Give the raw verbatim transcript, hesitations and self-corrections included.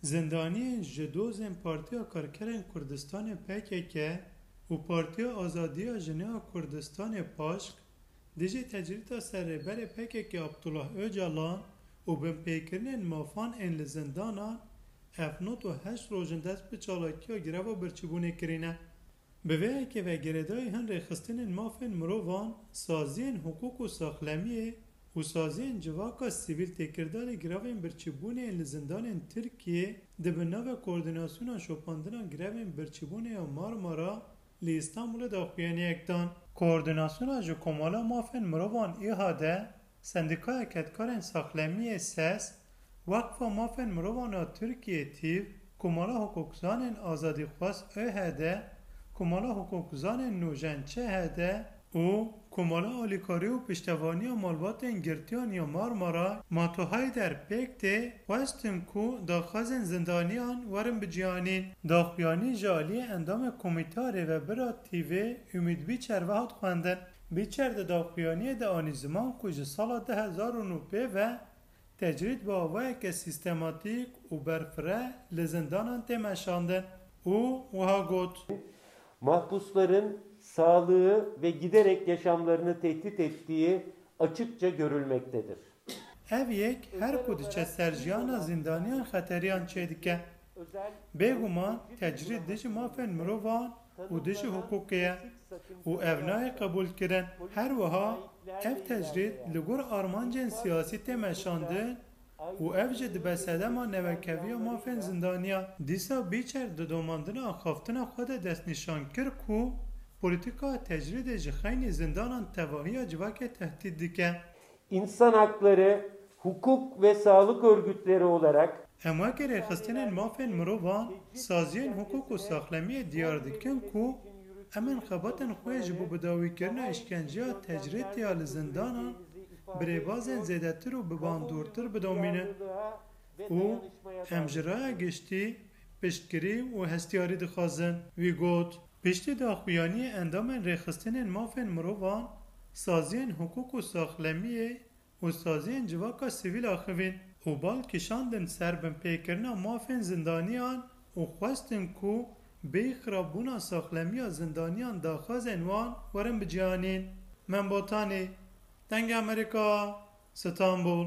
Zindaniyên ji dozên Partiya Karkerên Kurdistanê P K K û Partiya Azadiya Jinê ya Kurdistanê PAJK dijî tecrîda ser Rêberê P K K Abdullah Ocalan û binpêkirinên mafan ên li zindanan ev nod û heşt roj in dest bi çalakiya greva birçîbûnê kirîne. Bi vê yekê ve girêdayî hin rêxistinên mafên mirovan, saziyên hiqûq û saxlemiyê û saziyên civaka sivîl têkildarî grevên birçîbûnê yên li zindanên Tirkiyê di bin navê Koordînasyona Şopandina Grevên Birçîbûnê ya Marmara li Îstanbulê daxuyaniyek dan. Koordînasyona ji Komala Mafên Mirovan ÎHD, Sendîkaya Kedkarên Saxlemiyê SES, Weqfa Mafên Mirovan a Tirkiyê TÎV, Komala Hiqûqzanên Azadîxwaz ÖHD, Komala Hiqûqzanên Nûjen ÇHD û Komala Alîkarî û Piştevaniya Malbatên Girtiyan ya Marmara, Mato Hayder pêk tê, xwestin ku daxwazên zindaniyan werin biciyanîn. Daxuyanî ji aliyê endamê Komîteya Rêvebir a TÎVê Umît Bîçer ve hat xwendin. Bîçer di daxuyaniyê de anî ziman ku ji sala du hezar û nû pê ve tecrîd bi awayeke sîstematîk û berfireh li zindanan tê meşandin û wiha got: Mahpusların sağlığı ve giderek yaşamlarını tehdit ettiği açıkça görülmektedir. Ev yek her ku diçe ser jiyana zîndaniyan xeteriyan çêdike. Bêguman tecrîd dijî mafên mirovan û dijî hiqûqê ye û ev nayê qebûlkirin. Her wiha ev tecrîd li gor armancên siyasî tê meşandin û ev jî dibe sedema newekeviya mafên zindaniyan. Dîsa Bîçer di domandina axaftina xwe de destnîşan kir ku polîtîkaya tecrîdê ji xeynî zindanan tevahiya civakê tehdît dike. İnsan hakları, hukuk ve sağlık örgütleri olarak Em wekî rêxistinên mafên mirovan, saziyên hiqûq û saxlemiyê diyar dikin ku em ên xebatên xwe yê ji bo bidawîkirina îşkenceya tecrîdê ya li zindanan bi rêbazên zêdetir û bi bandortir bidomînin û em ji raya giştî piştgirî û hestiyarî dixwazin. Wî got: Piştî daxuyaniyê endamên rêxistinên mafên mirovan, saziyên hiqûq û saxlemiyê û saziyên civaka sivîl axivîn û bal kişandin ser binpêkirina mafên zindaniyan û xwestin ku bêyî xirabûna saxlemiya zindaniyan daxwazên wan werin biciyanîn. Mem Botanî, Dengê Amerîka, Stenbul.